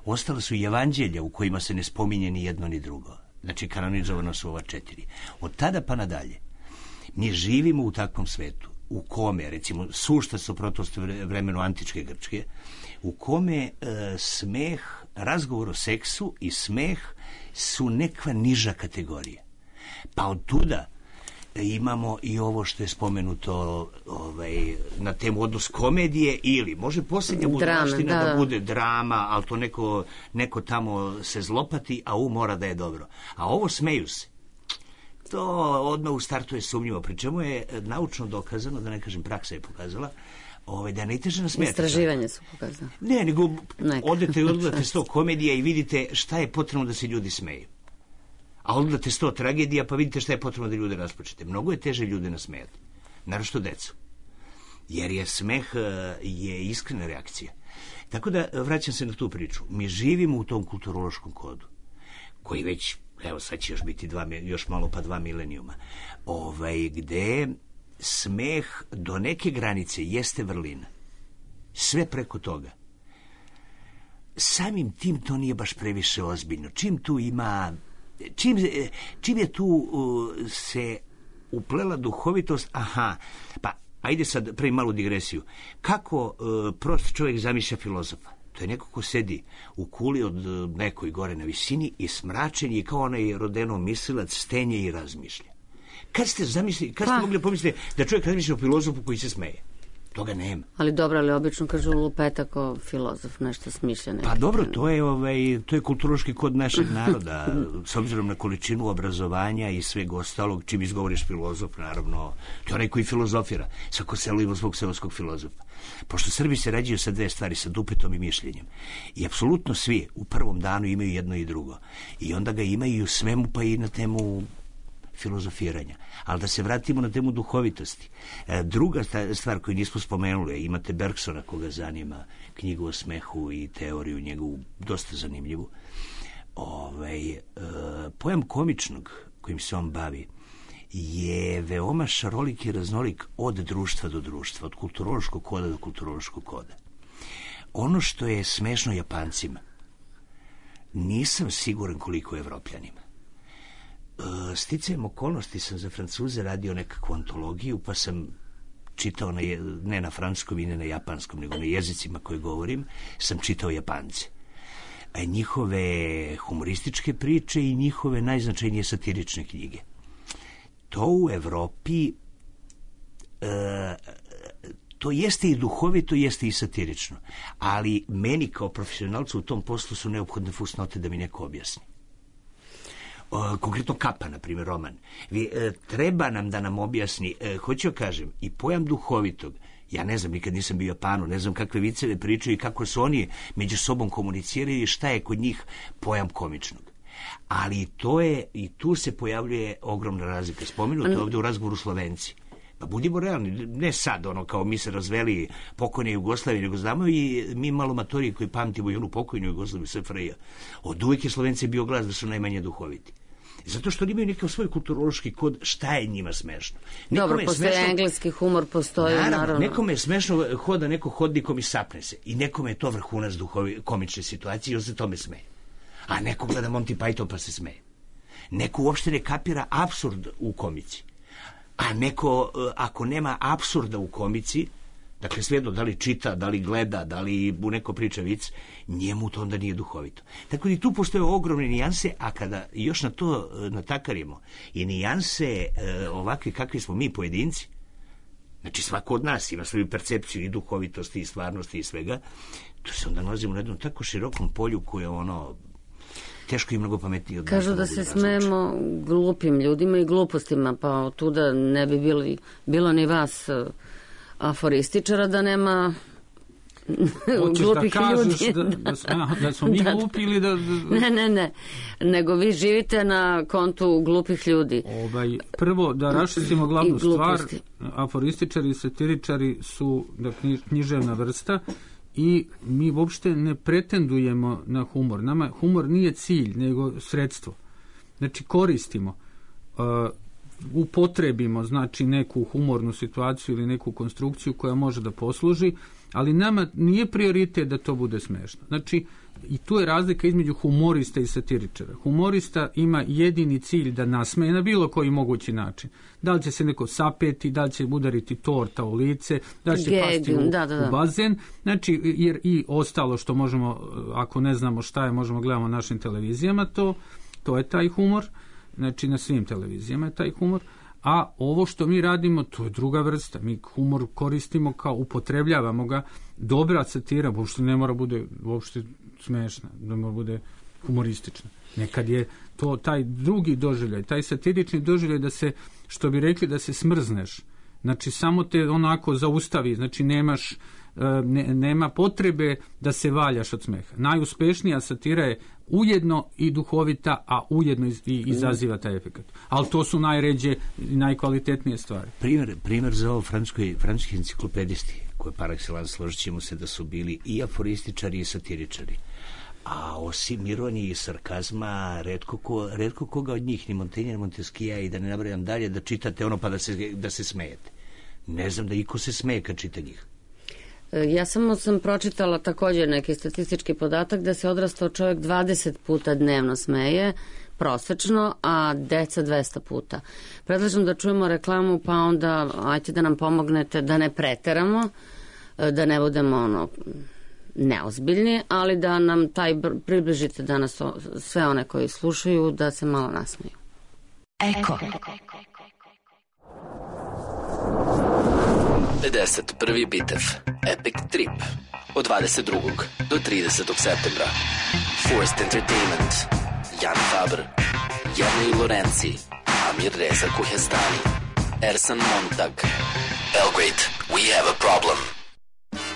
Ostale su i evanđelja u kojima se ne spominje ni jedno ni drugo. Znači, kanonizovano su ova četiri. Od tada pa nadalje, mi živimo u takvom svetu, u kome, recimo, sušta suprotnost vremenu antičke Grčke, u kome e, smeh, razgovor o seksu i smeh su nekva niža kategorija. Pa od tuda imamo i ovo što je spomenuto ovaj, na temu odnos komedije ili može posljednja budalaština da. da bude drama, ali to neko, neko tamo se zlopati, a u mora da je dobro. A ovo smeju se. To odmah u startu je sumnjivo, pri čemu je naučno dokazano, da ne kažem praksa je pokazala, ovaj, da je najteže nasmijati. Istraživanje su pokazala. Ne, nego odete i odgledate sto komedija i vidite šta je potrebno da se ljudi smeju. A odgledate sto tragedija, pa vidite šta je potrebno da ljude raspočete. Mnogo je teže ljude nasmejati, naročito decu. Jer je smeh je iskrena reakcija. Tako da, vraćam se na tu priču. Mi živimo u tom kulturološkom kodu, koji već, evo sad će još biti dva, još malo pa dva milenijuma, ovaj, gde smeh do neke granice jeste vrlina. Sve preko toga. Samim tim to nije baš previše ozbiljno. Čim tu ima... Čim, čim je tu uh, se uplela duhovitost, aha, pa ajde sad pravim malu digresiju. Kako uh, prost čovjek zamišlja filozofa? To je neko ko sedi u kuli od uh, nekoj gore na visini i smračen je kao onaj rodeno mislilac, stenje i razmišlja. Kad ste zamislili, kad ste pa. mogli pomisliti da čovjek razmišlja o filozofu koji se smeje? Toga nema. Ali dobro, ali obično kažu lupetak kao filozof, nešto smišlja. Neki. Pa dobro, to je, ovaj, to je kulturološki kod našeg naroda, s obzirom na količinu obrazovanja i sveg ostalog, čim izgovoriš filozof, naravno, to je onaj koji filozofira, svako selo ima svog seoskog filozofa. Pošto Srbi se rađaju sa dve stvari, sa dupetom i mišljenjem. I apsolutno svi u prvom danu imaju jedno i drugo. I onda ga imaju u svemu, pa i na temu filozofiranja. Ali da se vratimo na temu duhovitosti. E, druga stvar koju nismo spomenuli, imate Bergsona koga zanima, knjigu o smehu i teoriju njegovu, dosta zanimljivu. Ovaj, e, pojam komičnog kojim se on bavi je veoma šarolik i raznolik od društva do društva, od kulturološkog koda do kulturološkog koda. Ono što je smešno Japancima, nisam siguran koliko je Evropljanima. Sticajem okolnosti sam za Francuze radio nekakvu antologiju, pa sam čitao, na, ne na francuskom i ne na japanskom, nego na jezicima koje govorim, sam čitao Japance. A njihove humorističke priče i njihove najznačajnije satirične knjige. To u Evropi e, to jeste i duhovito, jeste i satirično. Ali meni kao profesionalcu u tom poslu su neophodne fusnote da mi neko objasni. O, konkretno Kapa, na primjer, roman. Vi, e, treba nam da nam objasni, e, hoću kažem, i pojam duhovitog. Ja ne znam, nikad nisam bio u Japanu, ne znam kakve viceve pričaju i kako su oni među sobom komuniciraju i šta je kod njih pojam komičnog. Ali to je, i tu se pojavljuje ogromna razlika. Spomenuto je ovdje u razgovoru Slovenci. Pa budimo realni, ne sad, ono, kao mi se razveli pokojne Jugoslavije, nego znamo i mi malo matori koji pamtimo i onu pokojnu Jugoslaviju, S F R J. Od uvijek je Slovenci bio glas da su najmanje duhoviti. Zato što oni imaju nekakav svoj kulturološki kod, šta je njima smešno. Nekome Dobro, postoje smešno, engleski humor, postoji naravno. naravno. Nekome je smešno hoda neko hodnikom i sapne se. I nekome je to vrhunac duhovi, komične situacije i on se tome smeje. A neko gleda Monty Python pa se smeje. Neko uopšte ne kapira apsurd u komici. A neko, ako nema apsurda u komici, dakle svejedno da li čita, da li gleda, da li u neko priča vic, njemu to onda nije duhovito. Tako da i tu postoje ogromne nijanse, a kada još na to natakarimo i nijanse e, ovakve kakvi smo mi pojedinci, Znači, svako od nas ima svoju percepciju i duhovitosti i stvarnosti i svega. Tu se onda nalazimo na jednom tako širokom polju koje ono teško i mnogo pametnije od nas. Kažu da se smemo glupim ljudima i glupostima, pa od tuda ne bi bili, bilo ni vas aforističara da nema glupih da ljudi. Da, da, da, da smo mi da, glupi ili da, da... Ne, ne, ne. Nego vi živite na kontu glupih ljudi. Ovaj, prvo, da raščistimo glavnu stvar, aforističari i satiričari su da, književna vrsta i mi uopšte ne pretendujemo na humor. Nama humor nije cilj, nego sredstvo. Znači, koristimo, uh, upotrebimo, znači, neku humornu situaciju ili neku konstrukciju koja može da posluži, ali nama nije prioritet da to bude smešno. Znači, i tu je razlika između humorista i satiričara. Humorista ima jedini cilj da nasmeje na bilo koji mogući način. Da li će se neko sapeti, da li će udariti torta u lice, da li će Geg, pasti u, da, da, da. u bazen. Znači, jer i ostalo što možemo, ako ne znamo šta je, možemo gledamo na našim televizijama, to, to je taj humor. Znači, na svim televizijama je taj humor. A ovo što mi radimo, to je druga vrsta. Mi humor koristimo kao, upotrebljavamo ga. Dobra satira, uopšte ne mora bude uopšte smešna, ne mora bude humoristična. Nekad je to taj drugi doživljaj, taj satirični doživljaj da se, što bi rekli, da se smrzneš. Znači, samo te onako zaustavi, znači nemaš, ne, nema potrebe da se valjaš od smeha. Najuspešnija satira je ujedno i duhovita, a ujedno i izaziva taj efekt. Ali to su najređe i najkvalitetnije stvari. Primer, primer za ovo francuski, francuski enciklopedisti, koje par excellence složit ćemo se da su bili i aforističari i satiričari. A osim ironije i sarkazma, redko, ko, redko koga od njih, ni Montaigne, ni Montesquieu, i da ne nabrajam dalje, da čitate ono pa da se, da se smejete. Ne znam da iko se smeje kad čita njih. Ja samo sam pročitala također neki statistički podatak da se odrastao čovjek dvadeset puta dnevno smeje, prosečno, a deca dvesta puta. Predlažem da čujemo reklamu, pa onda ajte da nam pomognete da ne preteramo, da ne budemo ono neozbiljni, ali da nam taj približite danas sve one koji slušaju da se malo nasmeju. Eko. pedeset prvi bitev Epic Trip od dvadeset drugog do tridesetog septembra. Forced Entertainment, Jan Faber, Jernej Lorenzi, Amir Reza Kuhestani, Ersan Montag. Belgrade, we have a problem.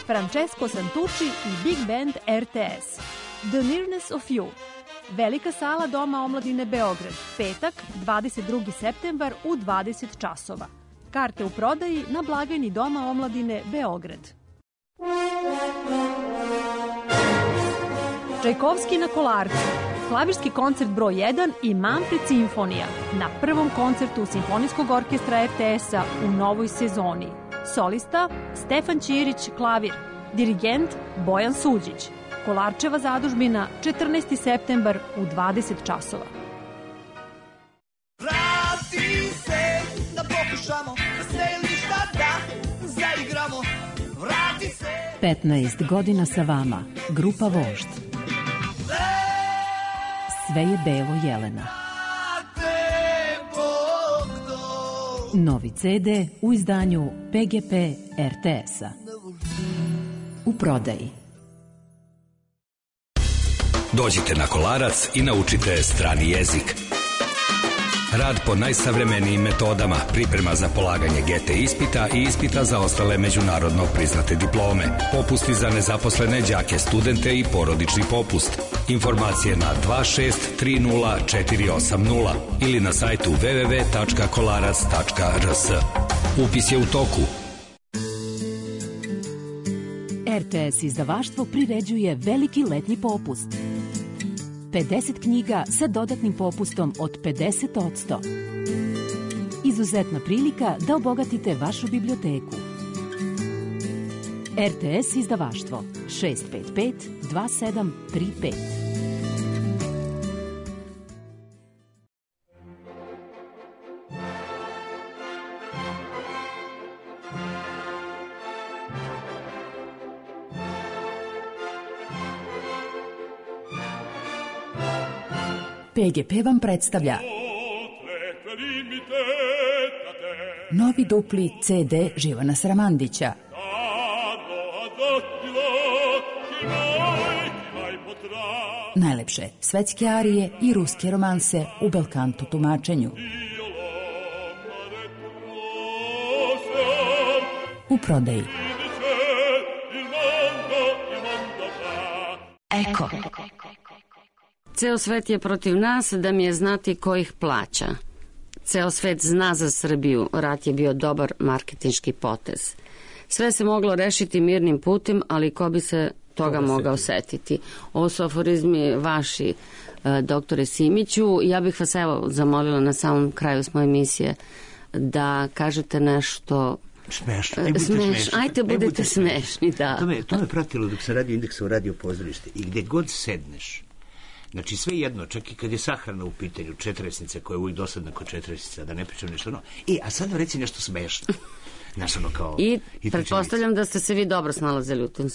Francesco Santucci i Big Band R T S. The Nearness of You. Velika sala Doma omladine Beograd. Petak, dvadeset drugi septembar u dvadeset časova. Karte u prodaji na blagajni Doma omladine Beograd. Čajkovski na Kolarcu. Klavirski koncert broj jedan i Manfred Simfonija na prvom koncertu Simfonijskog orkestra R T S-a u novoj sezoni. Solista Stefan Ćirić, klavir. Dirigent Bojan Suđić. Kolarčeva zadužbina, četrnaesti septembar u dvadeset časova. Vrati se da pokušamo, da selišta da zaigramo. Vrati se. petnaest godina sa vama, grupa Vožd. Sve je belo Jelena. Novi ce de u izdanju P G P R T S-a. U prodaji. Dođite na Kolarac i naučite strani jezik. Rad po najsavremenijim metodama, priprema za polaganje G T ispita i ispita za ostale međunarodno priznate diplome, popusti za nezaposlene đake, studente i porodični popust. Informacije na dva šest tri nula četiri osam nula ili na sajtu w w w tačka kolarac tačka r s. Upis je u toku. R T S izdavaštvo priređuje veliki letnji popust. pedeset knjiga sa dodatnim popustom od pedeset posto. Izuzetna prilika da obogatite vašu biblioteku. R T S izdavaštvo šest pet pet dva sedam tri pet. P G P vam predstavlja novi dupli ce de Živana Sramandića. Najlepše svetske arije i ruske romanse u belkanto tumačenju. U prodaji. Eko. Ceo svet je protiv nas, da mi je znati ko ih plaća. Ceo svet zna za Srbiju, rat je bio dobar marketinški potez. Sve se moglo rešiti mirnim putem, ali ko bi se toga mogao setiti. Ovo su aforizmi vaši, doktore Simiću. Ja bih vas evo zamolila na samom kraju svoje emisije da kažete nešto smešno. Aj, budite smeš, ajte, budete, budete smešni, da. To me, to me pratilo dok sam radio Indeksa u radio pozorište. I gde god sedneš, znači sve jedno, čak i kad je sahrana u pitanju, četresnica koja je uvijek dosadna kod četresnica, da ne pričam nešto ono. E, a sad reci nešto smešno. Znaš, ono kao... I, i pretpostavljam da ste se vi dobro snalazili u tim,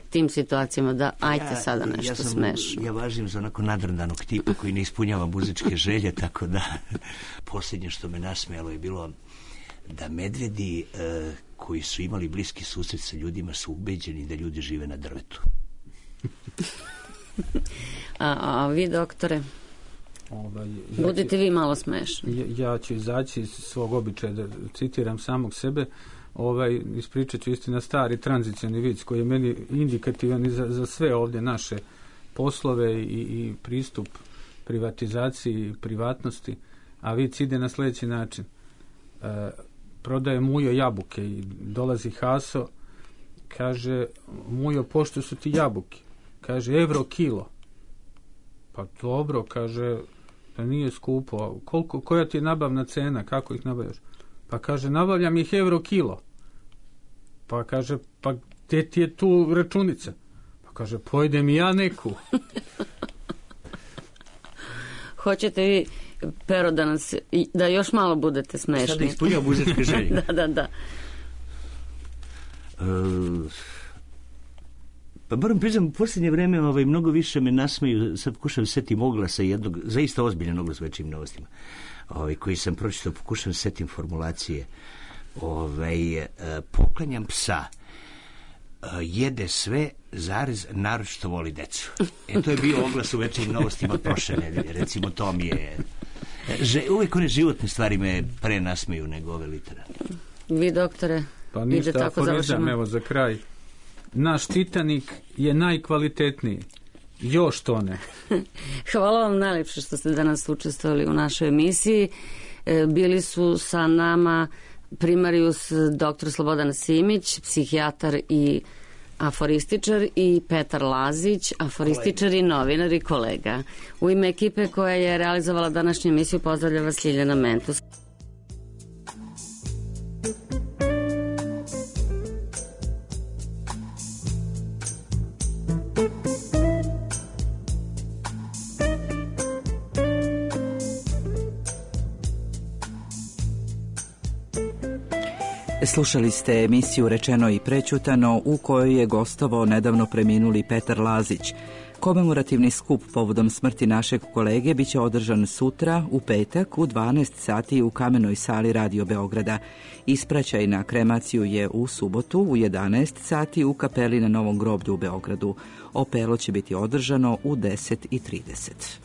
tim situacijama, da ajte ja, sada nešto ja sam, smešno. Ja važim za onako nadrndanog tipa koji ne ispunjava muzičke želje, tako da posljednje što me nasmijalo je bilo da medvedi e, koji su imali bliski susret sa ljudima su ubeđeni da ljudi žive na drvetu. a, a vi, doktore? Ovaj, budete ja, vi malo smešni. Ja, ja ću izaći iz svog običaja da citiram samog sebe. Ovaj, ispričat ću istina stari tranzicioni vic koji je meni indikativan i za, za sve ovdje naše poslove i, i pristup privatizaciji i privatnosti. A vic ide na sljedeći način. E, prodaje Mujo jabuke i dolazi Haso, kaže: Mujo, pošto su ti jabuke? Kaže: evro kilo. Pa dobro, kaže, da nije skupo. Koliko, koja ti je nabavna cena, kako ih nabavljaš? Pa kaže: nabavljam ih evro kilo. Pa kaže: pa gdje ti je tu računica? Pa kaže: pojedem i ja neku. Hoćete vi, Pero, da, nas, da još malo budete smešni? Sada ispunjao muzičke želje. da, da, da. Uh, pa moram priznam, u posljednje vreme ovaj, mnogo više me nasmeju, sad pokušam setim oglasa jednog, zaista ozbiljan oglas u Večnim novostima, ovaj, koji sam pročitao, pokušam setim formulacije. Ovaj, uh, poklanjam psa, uh, jede sve, zarez, naročito voli decu. E, to je bio oglas u Večnim novostima prošle nedelje, recimo, to mi je... Že, uvijek one životne stvari me pre nasmeju nego ove literarne. Vi, doktore, pa ništa, aforizam, evo za kraj. Naš Titanik je najkvalitetniji. Još to ne. Hvala vam najlepše što ste danas učestvovali u našoj emisiji. Bili su sa nama primarius doktor Slobodan Simić, psihijatar i aforističar, i Petar Lazić, aforističar i novinar i kolega. U ime ekipe koja je realizovala današnju emisiju pozdravlja vas Ljiljana Mentus. Slušali ste emisiju Rečeno i prećutano, u kojoj je gostovao nedavno preminuli Petar Lazić. Komemorativni skup povodom smrti našeg kolege biće održan sutra u petak u dvanaest sati u Kamenoj sali Radio Beograda. Ispraćaj na kremaciju je u subotu u jedanaest sati u kapeli na Novom groblju u Beogradu. Opelo će biti održano u deset i trideset.